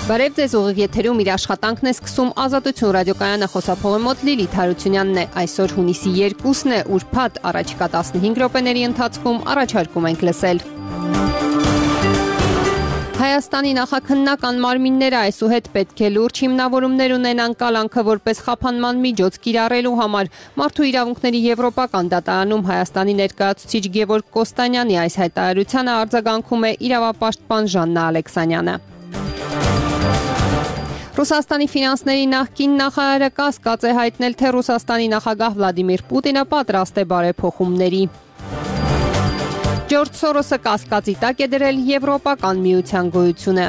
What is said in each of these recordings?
Բարև ձեզ, ուղիղ եթերում իր աշխատանքն է սկսում Ազատություն ռադիոկայանը, խոսափողի մոտ Լիլիթ Հարությունյանն է։ Այսօր հունիսի 2-ն է, ուրբաթ, առաջիկա 15 րոպեների ընթացքում առաջարկում ենք լսել. Հայաստանի նախաքննական մարմինները այսուհետ պետք է լուրջ հիմնավորումներ ունենան կալանքը որպես խափանման միջոց կիրառելու համար։ Մարդու իրավունքների եվրոպական դատարանում Հայաստանի ներկայացուցիչ Գևորգ Կոստանյանի այս հայտարարությանը արձագանքում է իրավապաշտպան Ժաննա Ալեքսանյանը։ Ռուսաստանի ֆինանսների նախկին նախարարը կասկած է հայտնել, թե Ռուսաստանի նախագահ Վլադիմիր Պուտինը պատրաստ է բարեփոխումների։ Ջորջ Սորոսը կասկածի տակ է դրել Եվրոպական միության գոյությունը։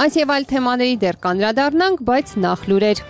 Այս եւ այլ թեմաների դեռ կանդրադառնանք, բայց նախ լուրեր։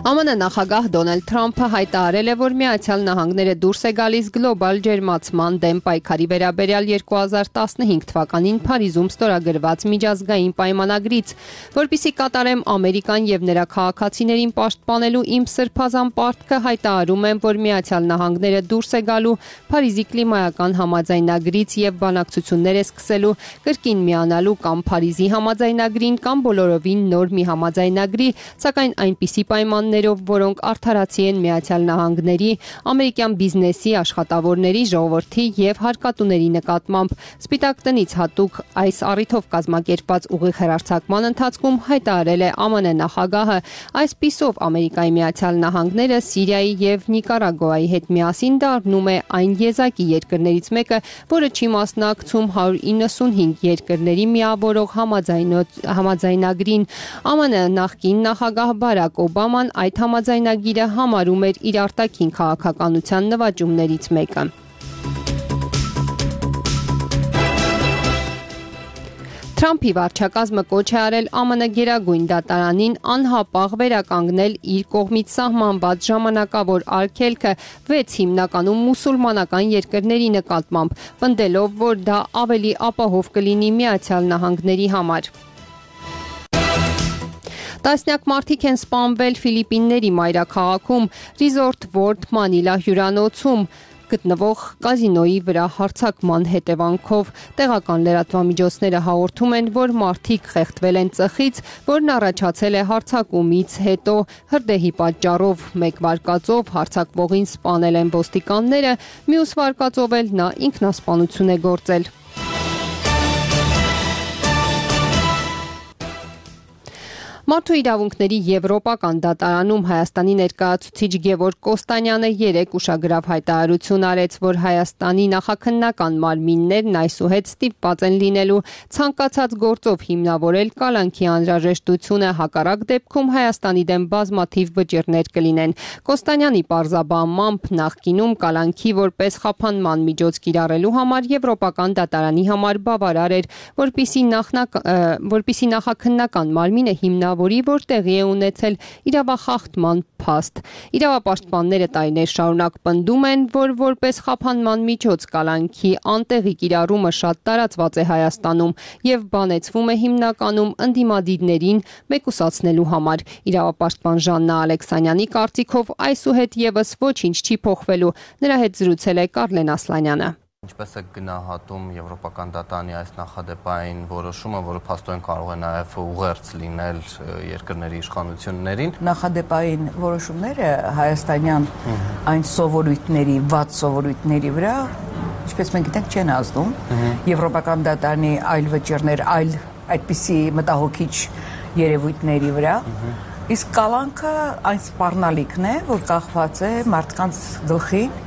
ԱՄՆ նախագահ Դոնալդ Թրամփը հայտարարել է, որ Միացյալ Նահանգները դուրս է գալիս գլոբալ ջերմացման դեմ պայքարի վերաբերյալ 2015 թվականին Փարիզում ստորագրված միջազգային պայմանագրից, որպեսզի կատարեմ Ամերիկան եւ նրա քաղաքացիներին պաշտպանելու իմ սրբազան պարտքը, հայտարարում եմ, որ Միացյալ Նահանգները դուրս է գալու Փարիզի կլիմայական համաձայնագրից եւ բանակցություններ է սկսելու կրկին միանալու կամ Փարիզի համաձայնագրին կամ բոլորովին նոր մի համաձայնագրի, սակայն այնպիսի պայմաններ որոնք արդարացի են Միացյալ Նահանգների, ամերիկյան բիզնեսի, աշխատավորների, ժողովրդի եւ հարկատուների նկատմամբ։ Սպիտակ տնից հատուկ այս առիթով կազմակերպված ուղիղ հեռարձակման ընթացքում հայտարարել է ԱՄՆ նախագահը, այսպիսով Ամերիկայի Միացյալ Նահանգները Սիրիայի եւ Նիկարագուայի հետ միասին դառնում է այն եզակի երկրներից մեկը, որը չի մասնակցում 195 երկրների միավորող համաձայնագրին։ ԱՄՆ նախկին նախագահ Բարակ Օբաման այդ համաձայնագիրը համարում էր իր արտաքին քաղաքականության նվաճումներից մեկը։ Թրամփի վարչակազմը կոչ է արել ԱՄՆ գերագույն դատարանին անհապաղ վերականգնել իր կողմից սահմանված ժամանակավոր արգելքը 6 հիմնականում մուսուլմանական երկրների նկատմամբ, պնդելով, որ դա ավելի ապահով կլինի Միացյալ Նահանգների համար։ Տասնյակ մարդիկ են սպանվել Ֆիլիպինների մայրաքաղաքում Resort World Manila հյուրանոցում գտնվող կազինոյի վրա հարձակման հետևանքով։ Տեղական լրատվամիջոցները հաղորդում են, որ մարդիկ խեղդվել են ծխից, որն առաջացել է հարձակումից հետո հրդեհի պատճառով։ Մեկ վարկածով հարձակվողին սպանել են ոստիկանները, մյուս վարկածով էլ նա ինքնասպանություն է գործել։ Մարդու իրավունքների եվրոպական դատարանում Հայաստանի ներկայացուցիչ Գևորգ Կոստանյանը երեկ ուշագրավ հայտարարություն արեց, որ Հայաստանի նախաքննական մարմիններն այսուհետ ստիպված են լինելու ցանկացած գործով հիմնավորել կալանքի անհրաժեշտությունը, հակառակ դեպքում Հայաստանի դեմ բազմաթիվ վճիռներ կլինեն։ Կոստանյանի պարզաբանմամբ նախկինում կալանքի որպես խափանման միջոց կիրառելու համար Եվրոպական դատարանի համար բավարար էր, որպեսզի նախաքննական մարմինը որի որ տեղի է ունեցել իրավախախտման փաստ։ Իրավապաշտպանները տարիներ շարունակ պնդում են, որ որպես խափանման միջոց կալանքի անտեղի կիրառումը շատ տարածված է Հայաստանում եւ բանեցվում է հիմնականում ընդդիմադիրներին մեկուսացնելու համար։ Իրավապաշտպան Ժաննա Ալեքսանյանի կարծիքով այսուհետ եւս ոչինչ չի փոխվելու։ Նրա հետ զրուցել է Կարլեն Ասլանյանը։ Ինչպես է գնահատում Եվրոպական դատարանի այս նախադեպային որոշումը, որը փաստորեն կարող է նաև ուղերձ լինել երկրների իշխանություններին։ Նախադեպային որոշումները հայաստանյան այն սովորույթների, վատ սովորույթների վրա, ինչպես մենք գիտենք, չեն ազդում։ Եվրոպական դատարանի այլ վճիռներ, այլ այդպիսի մտահոգիչ երևույթների վրա։ Իսկ կալանքը այն սպառնալիքն է, որ կախված է մարդկանց գլխին։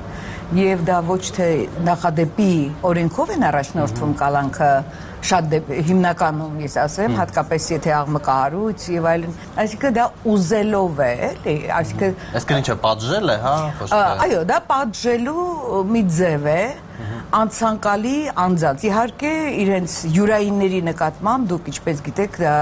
Եվ դա ոչ թե նախադեպի օրենքով են առաջնորդվում կալանքը, շատ հիմնականում ես ասեմ, հատկապես եթե աղմկահարույց եւ այլն, այսինքն դա ուզելով է, էլի, այսինքն ինչ է պատժել է, հա, այո, դա պատժելու մի ձև է, անցանկալի անձանց։ Իհարկե իրենց յուրայինների նկատմամբ դուք ինչպես գիտեք, դա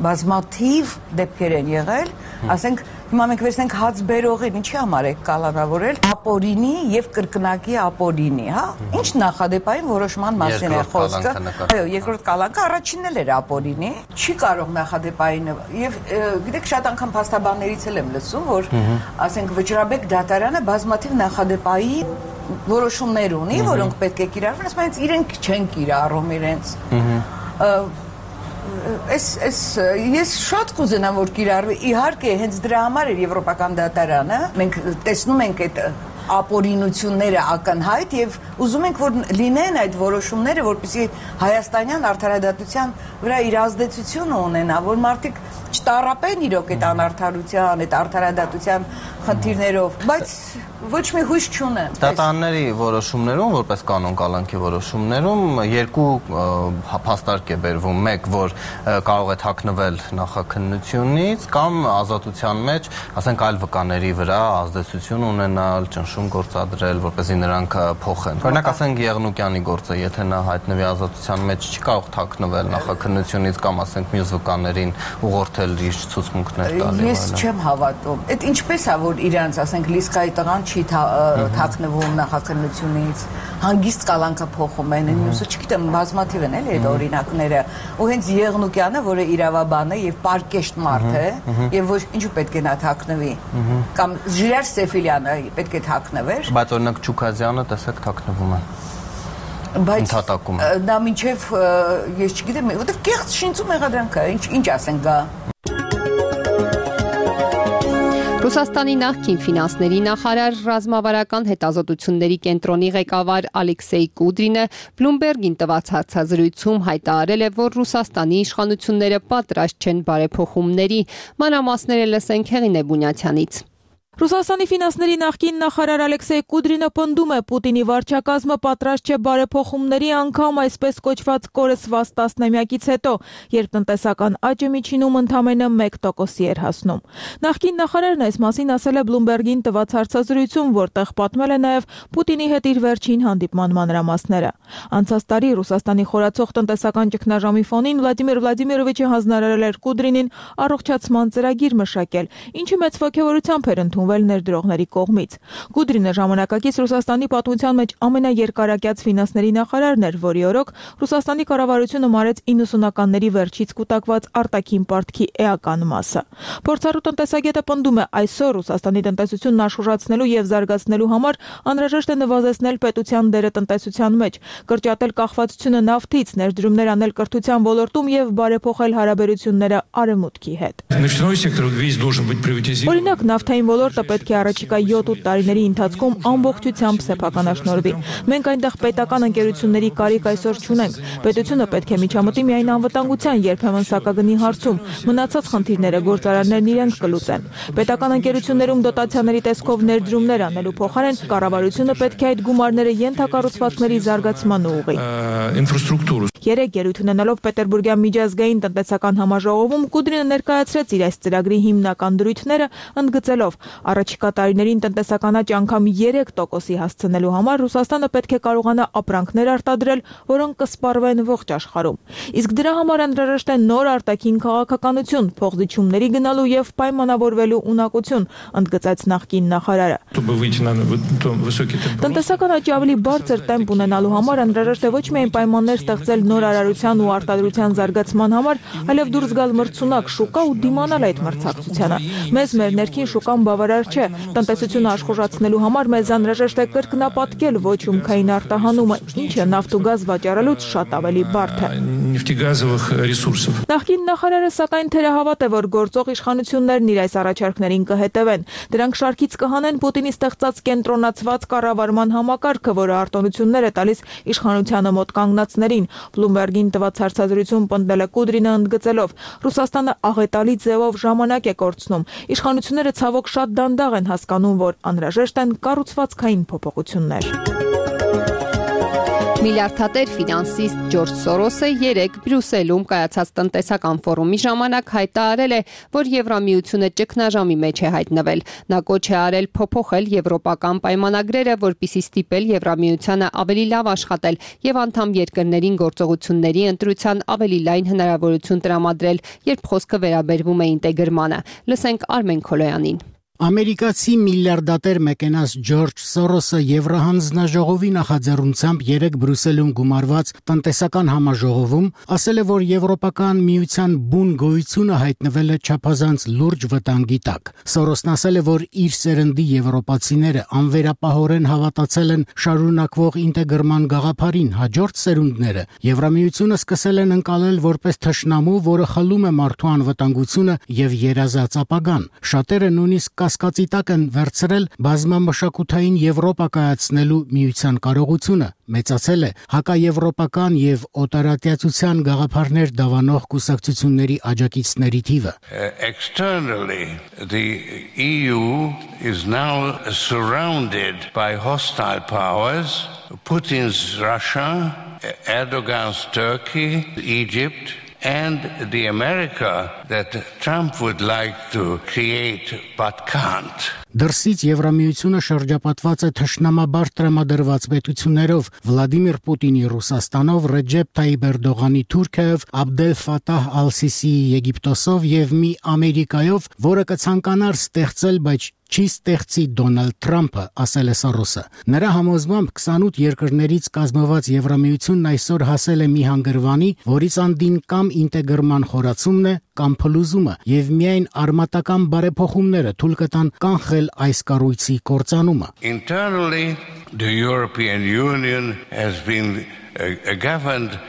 բազմաթիվ դեպքեր են եղել, ասենք հիմա մենք վերցնենք հաց բերողին, ինչի համար է կալանավորել ապօրինի եւ կրկնակի ապօրինի, հա։ Ինչ նախադեպային որոշման մասին է խոսքը։ Այո, երկրորդ կալանքը առաջինն էլ էր ապօրինի, չի կարող նախադեպային եւ գիտեք շատ անգամ փաստաբաններից էլ եմ լսում, որ ասենք Վճռաբեկ դատարանը բազմաթիվ նախադեպային որոշումներ ունի, որոնք պետք է կիրառվեն, ասում են իրենք չեն կիրառում իրենց։ Ես շատ կուզենամ, որ կիրառվի, իհարկե հենց դրա համար էր Եվրոպական դատարանը, մենք տեսնում ենք այդ ապօրինությունները ակնհայտ եւ ուզում ենք, որ լինեն այդ որոշումները, որպեսզի հայաստանյան արդարադատության վրա իր ազդեցությունը ունենա, որ մարդիկ չտառապեն իրոք այդ անարդարության, այդ արդարադատության խնդիրներով, բայց ոչ մի հույս չունեմ։ Դատարանների որոշումներում, որպես կանոն կալանքի որոշումներում երկու փաստարկ է բերվում, մեկ, որ կարող է թաքնվել նախաքննությունից կամ ազատության մեջ, ասենք այլ վկաների վրա ազդեցություն ունենալ, ճնշում գործադրել, որպեսզի նրանք փոխեն։ Օրինակ, ասենք Եղնուկյանի գործը, եթե նա հայտնվի ազատության մեջ, չի կարող թաքնվել նախաքննությունից կամ ասենք մյուս վկաներին ուղղորդել իր ցուցմունքներ տալու։ Ես չեմ հավատում։ Այդ ինչպես է, որ իրանց, ասենք Լիսկայի տղան չի թաքնվում նախաքննությունից, հանգիստ կալանքը փոխում են, մյուսը չգիտեմ, բազմաթիվ են էլի այդ օրինակները, ու հենց Եղնուկյանը, որը իրավաբան է եւ պարկեշտ մարդ է, եւ ոչ ինչու պետք է նա թաքնվի, կամ Ժիրայր Սեֆիլյանը պետք է թաքնվեր։ Բայց օրինակ Չուքազյանը տեսեք թաքնվում է։ Բայց դա մինչև ես չգիտեմ, որտեղ կեղծ շինծու մեղադրանք է, ինչ ասենք գա։ Ռուսաստանի նախկին ֆինանսների նախարար, ռազմավարական հետազոտությունների կենտրոնի ղեկավար Ալեքսեյ Կուդրինը Bloomberg-ին տված հարցազրույցում հայտարարել է, որ Ռուսաստանի իշխանությունները պատրաստ չեն բարեփոխումների, մանրամասները լսենք Հեղինե Բունյաթյանից։ Ռուսաստանի ֆինանսների նախկին նախարար Ալեքսեյ Կուդրինը պնդում է Պուտինի վարչակազմը պատրաստ չէ բարեփոխումների անգամ այսպես կոչված կորսված տասնամյակից հետո, երբ տնտեսական աճը միջինում ընդամենը 1% էր հասնում։ Նախկին նախարարն այս մասին ասել է Bloomberg-ին տված հարցազրույցում, որտեղ պատմել է նաև Պուտինի հետ իր վերջին հանդիպման մանրամասները։ Անցած տարի Ռուսաստանի խորացող տնտեսական ճգնաժամի ֆոնին Վլադիմիր Վլադիմիրովիչը հանձնարարել էր Կուդրինին առողջացման ծրագիր մշակել, ինչը մեծ ոգևորությամբ էր ընդունվել ներդրողների կողմից։ Կուդրինը ժամանակակից Ռուսաստանի պատմության մեջ ամենաերկարակյաց ֆինանսների նախարարն էր, որի օրոք Ռուսաստանի կառավարությունը մարեց 90-ականների վերջից կուտակված արտաքին պարտքի էական մասը։ Փորձառու տնտեսագետը պնդում է, այսօր Ռուսաստանի տնտեսությունն աշխուժացնելու եւ զարգացնելու համար անհրաժեշտ է նվազեցնել պետության դերը տնտեսության մեջ, կրճատել կախվածությունը նավթից, ներդրումներ անել կրթության ոլորտում եւ բարեփոխել հարաբերությունները արևմուտքի հետ։ Օրինակ, նավթային ոլորտը պետք է առաջիկա 7-8 տարիների ընթացքում ամբողջությամբ սեփականաշնորհվի։ Մենք այնտեղ պետական ընկերությունների կարիք այսօր չունենք։ Պետությունը պետք է միջամտի միայն անվտանգության, երբեմն սակագնի հարցում։ Մնացած խնդիրները գործարարներն իրենք կլուծեն։ Պետական ընկերություններում դոտացիաների տեսքով ներդրումներ անելու փոխարեն կառավարությունը պետք է այդ գումարները ենթակառուցվածքների զարգացման ուղղի։ Երեք ելույթ ունենալով Պետերբուրգյան միջազգային տնտեսական համաժողովում Կուդրինը ներկայացրեց իր այս ծրագրի հիմնական դրույթները, ընդգծելով առաջիկա տարիներին տնտեսական աճ անգամ 3%-ի հասցնելու համար Ռուսաստանը պետք է կարողանա ապրանքներ արտադրել, որոնք կսպառվեն ողջ աշխարհում։ Իսկ դրա համար անհրաժեշտ է նոր արտաքին քաղաքականություն, փոխզիջումների գնալու եւ պայմանավորվելու ունակություն, ընդգծեց նախկին նախարարը։ Տնտեսական աճի ավելի բարձր տեմպ ունենալու համար անհրաժեշտ է ոչ միայն պայմաններ ստեղծել նոր արարության ու արտադրության զարգացման համար, այլև դուրս գալ մրցունակ շուկա ու դիմանալ այդ մրցակցությանը։ Մեզ մեր ներքին շուկան բավարար չէ։ Տնտեսությունը աշխուժացնելու համար մեզ անհրաժեշտ է կրկնապատկել ոչ հումքային արտահանումը, ինչը նավթ ու գազ վաճառելուց շատ ավելի բարդ է։ Նախկին նախարարը սակայն թերահավատ է, որ գործող իշխանություններն իր այս առաջարկներին կհետևեն։ Դրանք շարքից կհանեն Պուտինի ստեղծած կենտրոնացված կառավարման համակարգը, որը արտոնություններ է տալիս իշխանությանը մոտ կանգնածներին։ Bloomberg-ին տված հարցազրույցում պնդել է Կուդրինը, ընդգծելով. Ռուսաստանը աղետալի ձևով ժամանակ է կորցնում։ Իշխանությունները ցավոք շատ դանդաղ են հասկանում, որ անհրաժեշտ են կառուցվածքային փոփոխություններ։ Միլիարդատեր ֆինանսիստ Ջորջ Սորոսը երեկ Բրյուսելում կայացած տնտեսական ֆորումի ժամանակ հայտարարել է, որ Եվրամիությունը ճգնաժամի մեջ է հայտնվել։ Նա կոչ է արել փոփոխել եվրոպական պայմանագրերը, որպեսզի ստիպել Եվրամիությանը ավելի լավ աշխատել եւ անդամ երկրներին գործողությունների ընտրության ավելի լայն հնարավորություն տրամադրել, երբ խոսքը վերաբերվում է ինտեգրմանը։ Լսենք Արմեն Քոլոյանին։ Ամերիկացի միլիարդատեր մեկենաս Ջորջ Սորոսը Եվրահանձնաժողովի նախաձեռնությամբ 3 Բրյուսելում գումարված տնտեսական համաժողովում ասել է, որ Եվրոպական միության բուն գոյությունը հայտնվել է չափազանց լուրջ վտանգի տակ։ Սորոսն ասել է, որ իր սերնդի եվրոպացիները անվերապահորեն հավատացել են շարունակվող ինտեգրման գաղափարին, հաջորդ սերունդները Եվրամիությունը սկսել են ընկալել որպես թշնամու, որը խլում է մարդու անվտանգությունը եւ երազած ապագան։ Շատերը նույնիսկ կասկածի տակ են վերցրել բազմամշակութային Եվրոպա կայացնելու միության կարողությունը, մեծացել է հակաեվրոպական եւ օտարատյացության գաղափարներ դավանող կուսակցությունների աջակիցների թիվը։ Externally, the EU is now surrounded by hostile powers, Putin's Russia, Erdogan's Turkey, Egypt, and the America that Trump would like to create but can't. Դրսից Եվրամիությունը շրջապատված է թշնամաբար տրամադրված պետություններով՝ Վլադիմիր Պուտինի Ռուսաստանով, Ռեջեփ Թայիպ Էրդողանի Թուրքիայով, Աբդել Ֆաթահ Ալ-Սիսիի Եգիպտոսով եւ մի Ամերիկայով, որը կցանկանար ստեղծել, բայց չի ստեղծի Դոնալդ Թրամփը, ասել է Սորոսը։ Նրա համոզմամբ 28 երկրներից կազմված Եվրամիությունն այսօր հասել է մի հանգրվանի, որից անդին կամ ինտեգրման խորացումն է, կամ փլուզումը, եւ միայն արմատական բարեփոխումները թույլ կտան կանխել այս կառույցի կործանումը։ Internally, the European Union has been governed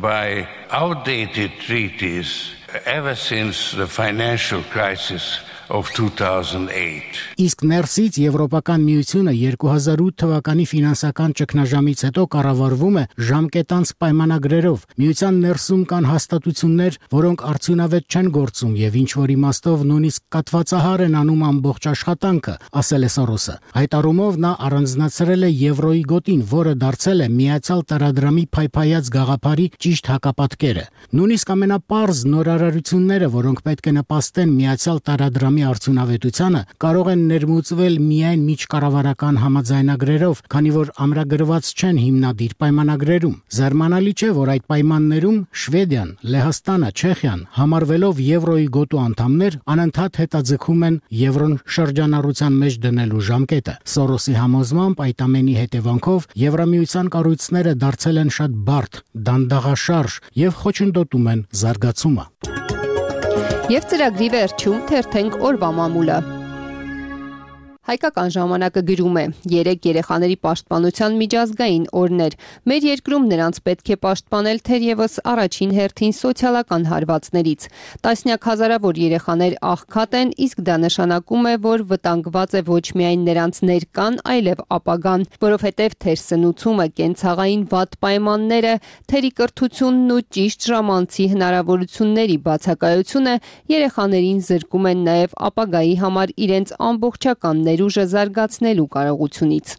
by outdated treaties ever since the financial crisis of 2008. Իսկ ներսից Եվրոպական միությունը 2008 թվականի ֆինանսական ճգնաժամից հետո կառավարվում է ժամկետանց պայմանագրերով։ Միության ներսում կան հաստատություններ, որոնք արդյունավետ չեն գործում եւ ինչ որ իմաստով նույնիսկ կատվածահար են անում ամբողջ աշխատանքը, ասել է Սորոսը։ Այդ առումով նա առանձնացրել է եվրոյի գոտին, որը դարձել է միացյալ տարադրամի փայփայած գաղափարի ճիշտ հակապատկերը։ Նույնիսկ ամենապարզ նորարարությունները, որոնք պետք է նպաստեն միացյալ տարադրամի արդյունավետությանը, կարող են ներմուծվել միայն միջկառավարական համաձայնագրերով, քանի որ ամրագրված չեն հիմնադիր պայմանագրերում։ Զարմանալի չէ, որ այդ պայմաններում Շվեդիան, Լեհաստանը, Չեխիան համարվելով եվրոյի գոտու անդամներ, անընդհատ հետաձգում են եվրոն շրջանառության մեջ դնելու ժամկետը։ Սորոսի համոզմամբ այդ ամենի հետևանքով Եվրամիության կառույցները դարձել են շատ բարդ, դանդաղաշարժ եւ խոչընդոտում են զարգացումը։ Եվ ծրագրի վերջում թերթենք օրվա մամուլը։ Հայկական ժամանակը գրում է. 3 երեխաների պաշտպանության միջազգային օրներ։ Մեր երկրում նրանց պետք է պաշտպանել թերևս առաջին հերթին սոցիալական հարվածներից։ Տասնյակ հազարավոր երեխաներ աղքատ են, իսկ դա նշանակում է, որ վտանգված է ոչ միայն նրանց ներկան, այլև ապագան, որովհետև թերսնուցումը, կենցաղային վատ պայմանները, թերի կրթությունն ու ճիշտ ժամանցի հնարավորությունների բացակայությունը երեխաներին զրկում են նաև ապագայի համար իրենց ամբողջական ուժը զարգացնելու կարողությունից։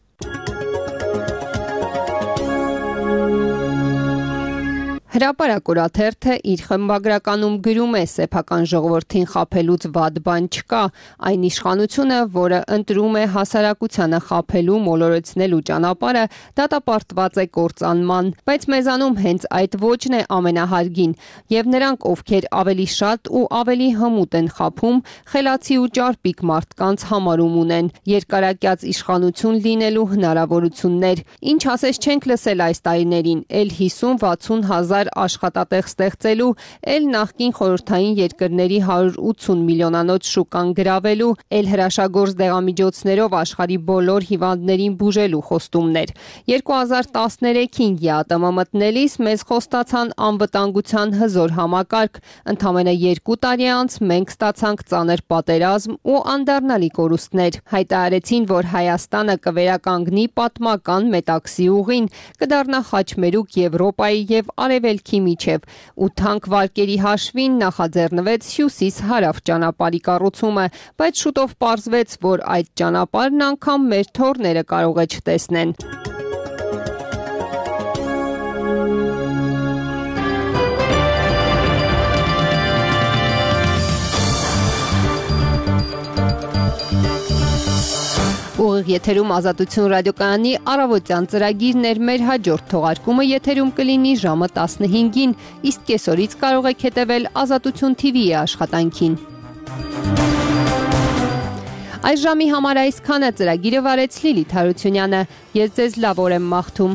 Հրապարակ օրաթերթը իր խմբագրականում գրում է. սեփական ժողովրդին խաբելուց վատ բան չկա, այն իշխանությունը, որը ընտրում է հասարակությանը խաբելու, մոլորեցնելու ճանապարհը, դատապարտված է կործանման, բայց մեզանում հենց այդ ոճն է ամենահարգին, եւ նրանք, ովքեր ավելի շատ ու ավելի հմուտ են խաբում, խելացի ու ճարպիկ մարդկանց համարում ունեն, երկարակյաց իշխանություն լինելու հնարավորություններ, ինչ ասես չենք լսել այս տարիներին, էլ 50-60 հազար աշխատատեղ ստեղծելու, էլ նախկին խորհրդային երկրների 180 միլիոնանոց շուկան գրավելու, էլ հրաշագործ դեղամիջոցներով աշխարհի բոլոր հիվանդներին բուժելու խոստումներ։ 2013-ին ԵԱՏՄ մտնելիս մեզ խոստացան անվտանգության հզոր համակարգ, ընդամենը 2 տարի անց մենք ստացանք ծանր պատերազմ ու անդառնալի կորուստներ։ Հայտարարեցին, որ Հայաստանը կվերականգնի պատմական Մետաքսի ուղին, կդառնա խաչմերուկ Եվրոպայի եւ Արևելքի միջև, ու թանկ վարկերի հաշվին նախաձեռնվեց հյուսիս-հարավ ճանապարհի կառուցումը, բայց շուտով պարզվեց, որ այդ ճանապարհն անգամ մեր թոռները կարող է չտեսնեն։ Ուղիղ եթերում Ազատություն ռադիոկայանի առավոտյան ծրագիրն էր, մեր հաջորդ թողարկումը եթերում կլինի ժամը 15-ին, իսկ կեսօրից կարող եք հետևել Ազատություն TV-ի աշխատանքին։ Այս ժամի համար այսքանը, ծրագիրը վարեց Լիլիթ Հարությունյանը։ Ես ձեզ լավ օր եմ մաղթում։